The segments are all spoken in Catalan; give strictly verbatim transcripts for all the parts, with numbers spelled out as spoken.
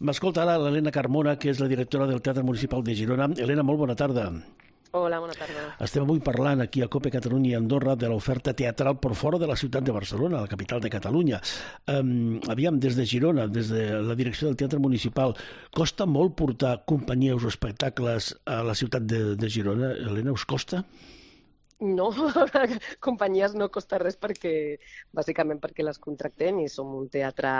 M'escolta ara l'Helena Carmona, que és la directora del Teatre Municipal de Girona. Helena, molt bona tarda. Hola, bona tarda. Estem avui parlant aquí a COPE Catalunya i Andorra de l'oferta teatral per fora de la ciutat de Barcelona, la capital de Catalunya. Um, aviam, des de Girona, des de la direcció del Teatre Municipal, costa molt portar companyies o espectacles a la ciutat de, de Girona? Helena, us costa? No, companyies no costa res perquè, bàsicament perquè les contractem i som un teatre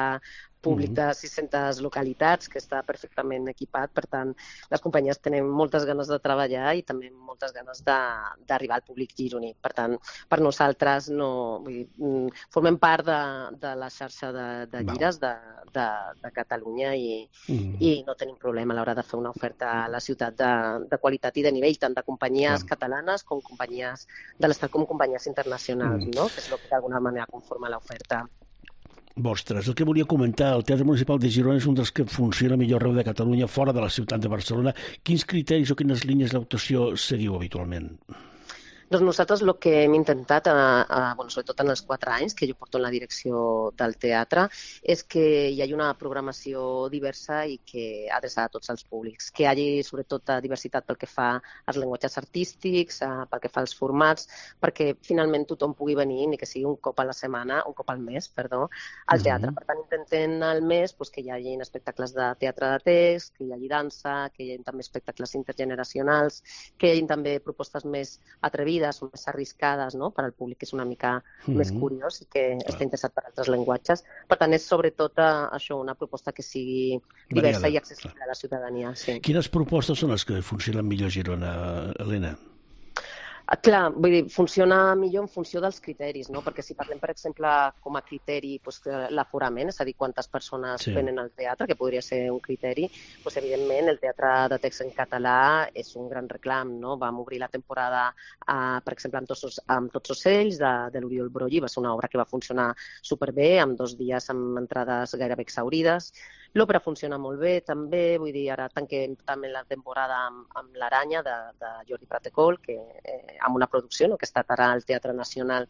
públic de sis-centes localitats que està perfectament equipat. Per tant, les companyies tenen moltes ganes de treballar i també moltes ganes d'arribar al públic gironí. Per tant, per nosaltres no, vull dir, formem part de, de la xarxa de, de gires de, de, de Catalunya i, mm. i no tenim problema a l'hora de fer una oferta a la ciutat de, de qualitat i de nivell, tant de companyies Clar. catalanes com companyies de l'Estat com companyies internacionals, mm. no? Que és el que d'alguna manera conforma l'oferta. Vostres. El que volia comentar, el Teatre Municipal de Girona és un dels que funciona millor arreu de Catalunya, fora de la ciutat de Barcelona. Quins criteris o quines línies d'actuació seguiu habitualment? Doncs nosaltres el que hem intentat, a, a, bueno, sobretot en els quatre anys que jo porto en la direcció del teatre, és que hi hagi una programació diversa i que adreçada a tots els públics, que hi hagi sobretot diversitat pel que fa als llenguatges artístics, a, pel que fa als formats, perquè finalment tothom pugui venir, ni que sigui un cop a la setmana, un cop al mes, perdó, al teatre. Uh-huh. Per tant, intentem al mes pues, que hi hagi espectacles de teatre de text, que hi hagi dansa, que hi hagi també espectacles intergeneracionals, que hi hagi també propostes més atrevides, són més arriscades, no?, per al públic que és una mica mm-hmm. més curiós i que Clar. està interessat per altres llenguatges. Per tant, és sobretot això, una proposta que sigui diversa Variada. i accessible Clar. a la ciutadania. Sí. Quines propostes són les que funcionen millor a Girona, Helena? Clar, vull dir, funciona millor en funció dels criteris, no? Perquè si parlem, per exemple, com a criteri doncs, l'aforament, és a dir, quantes persones sí. venen al teatre, que podria ser un criteri, doncs, evidentment el teatre de text en català és un gran reclam, no? Vam obrir la temporada, eh, per exemple, amb tots, amb tots ocells de, de l'Oriol Broggi, va ser una obra que va funcionar superbé, amb dos dies amb entrades gairebé exhaurides. L'òpera funciona molt bé, també, vull dir, ara tanquem també la temporada amb, amb l'Aranya de, de Jordi Pratecol, que eh, amb una producció no, que ha estat ara al Teatre Nacional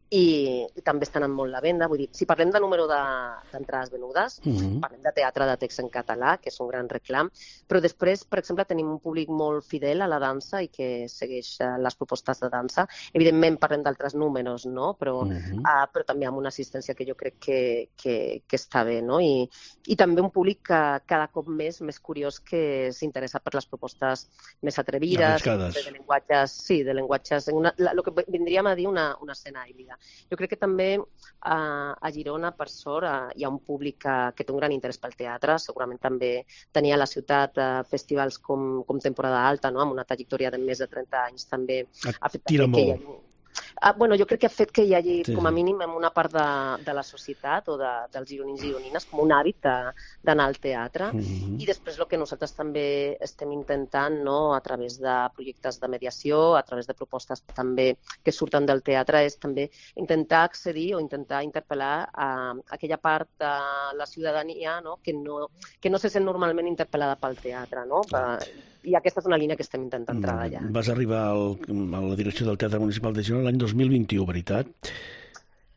i, i també estan en molt la venda. Vull dir, si parlem de número d'entrades de, venudes, mm-hmm. parlem de teatre de text en català, que és un gran reclam, però després, per exemple, tenim un públic molt fidel a la dansa i que segueix uh, les propostes de dansa. Evidentment parlem d'altres números, no? Però, mm-hmm. uh, però també amb una assistència que jo crec que, que, que està bé, no? I, i també un públic que cada cop més més curiós que s'interessa per les propostes més atrevides, de llenguatges, sí, de llenguatges, una, la, el que vindríem a dir una, una escena híbrida. Jo crec que també eh, a Girona, per sort, eh, hi ha un públic que, que té un gran interès pel teatre. Segurament també tenia a la ciutat eh, festivals com, com Temporada Alta, no? Amb una trajectòria de més de trenta anys també. Ha fet Tira molt. Que hi hagi... Ah, bueno, jo crec que ha fet que hi hagi, sí. com a mínim, en una part de, de la societat o de, dels gironins i gironines, com un hàbit d'anar al teatre. Mm-hmm. I després el que nosaltres també estem intentant, no, a través de projectes de mediació, a través de propostes també que surten del teatre, és també intentar accedir o intentar interpel·lar a aquella part de la ciutadania, no, que, no, que no se sent normalment interpel·lada pel teatre, no? Ah. I aquesta és una línia que estem intentant treballar. Vas arribar al, a la direcció del Teatre Municipal de Girona l'any dos mil vint-i-u, veritat?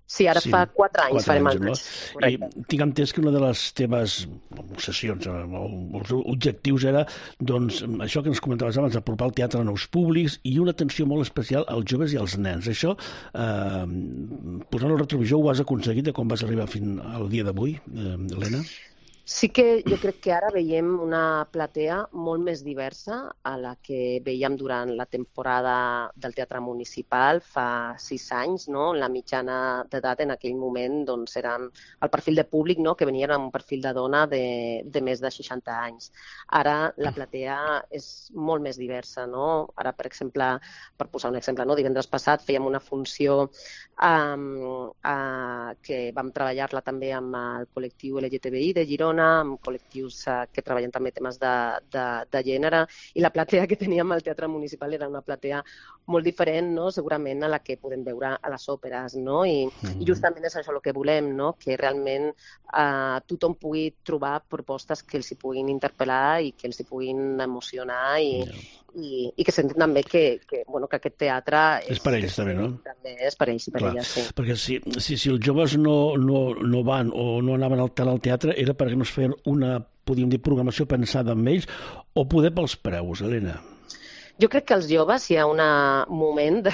Sí, ara sí, fa quatre anys, quatre farem anys, no? I tinc entès que una de les teves obsessions o els objectius era, doncs, això que ens comentaves abans, apropar el teatre a nous públics i una atenció molt especial als joves i als nens. Això, eh, posant el retrovisor, ho has aconseguit de com vas arribar fins al dia d'avui, eh, Helena? Sí que jo crec que ara veiem una platea molt més diversa a la que veiem durant la temporada del Teatre Municipal fa sis anys, no? La mitjana d'edat en aquell moment doncs, era el perfil de públic, no? Que venien amb un perfil de dona de, de més de seixanta anys. Ara la platea és molt més diversa, no? Ara, per exemple, per posar un exemple, no? Divendres passat fèiem una funció um, uh, que vam treballar-la també amb el col·lectiu L G T B I de Girona, amb col·lectius uh, que treballen també temes de, de, de gènere, i la platea que teníem al Teatre Municipal era una platea molt diferent, no? Segurament a la que podem veure a les òperes, no? I, mm-hmm. i justament és això el que volem, no? Que realment uh, tothom pugui trobar propostes que els hi puguin interpel·lar i que els hi puguin emocionar i, yeah. i, i que sentin també que, que, bueno, que aquest teatre... És, és per ells, també, no? També és per ells i per Clar, elles, sí. Perquè si, si, si els joves no, no, no van o no anaven al, al teatre era perquè no vosaltres fer una, podríem dir, programació pensada amb ells, o poder pels preus, Helena? Jo crec que els joves hi ha un moment de,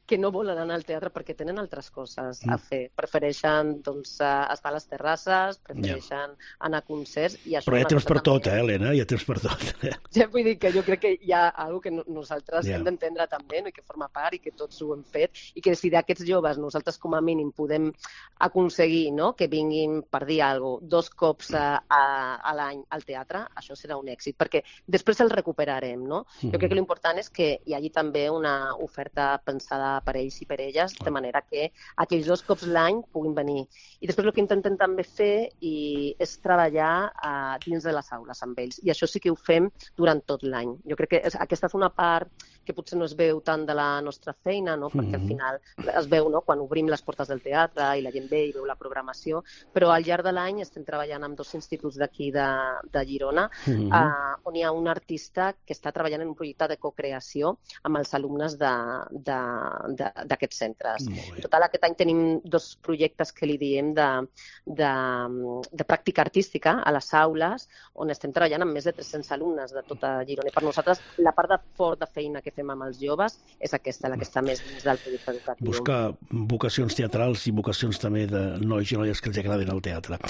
que no volen anar al teatre perquè tenen altres coses a fer. Prefereixen doncs, estar a les terrasses, prefereixen yeah. anar a concerts... I això però hi ha temps per també... tot, eh, Helena? Hi ha temps per tot. Ja vull dir que jo crec que hi ha alguna que nosaltres yeah. hem d'entendre també, no? I que forma part i que tots ho hem fet, i que si d'aquests joves nosaltres com a mínim podem aconseguir, no? Que vinguin, per dir alguna cosa, dos cops a, a, a l'any al teatre, això serà un èxit, perquè després el recuperarem, no? Mm. Jo crec que l'important és que hi hagi també una oferta pensada per ells i per elles, de manera que aquells dos cops l'any puguin venir. I després el que intentem també fer i és treballar uh, dins de les aules amb ells. I això sí que ho fem durant tot l'any. Jo crec que és, aquesta és una part que potser no es veu tant de la nostra feina, no? Perquè al final es veu, no? Quan obrim les portes del teatre i la gent ve i veu la programació, però al llarg de l'any estem treballant amb dos instituts d'aquí de, de Girona, mm-hmm. uh, on hi ha un artista que està treballant en un projecte de co-creació amb els alumnes d'aquests centres. En total, aquest any tenim dos projectes que li diem de, de, de pràctica artística a les aules, on estem treballant amb més de tres-cents alumnes de tota Girona. I per nosaltres, la part de fort de feina que fem amb els joves és aquesta, la que està més dins del projecte educatiu. Buscar vocacions teatrals i vocacions també de nois i noies que els agraden el teatre.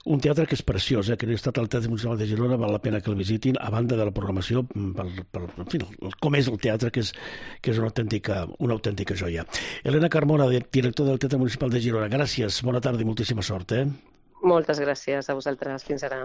Un teatre que és preciós, eh? Que no ha estat al Teatre Municipal de Girona, val la pena que el visitin, a banda de la programació, per, per, en fi, com és el teatre, que és, que és una, autèntica, una autèntica joia. Helena Carmona, director del Teatre Municipal de Girona, gràcies, bona tarda i moltíssima sort. Eh? Moltes gràcies a vosaltres. Fins ara.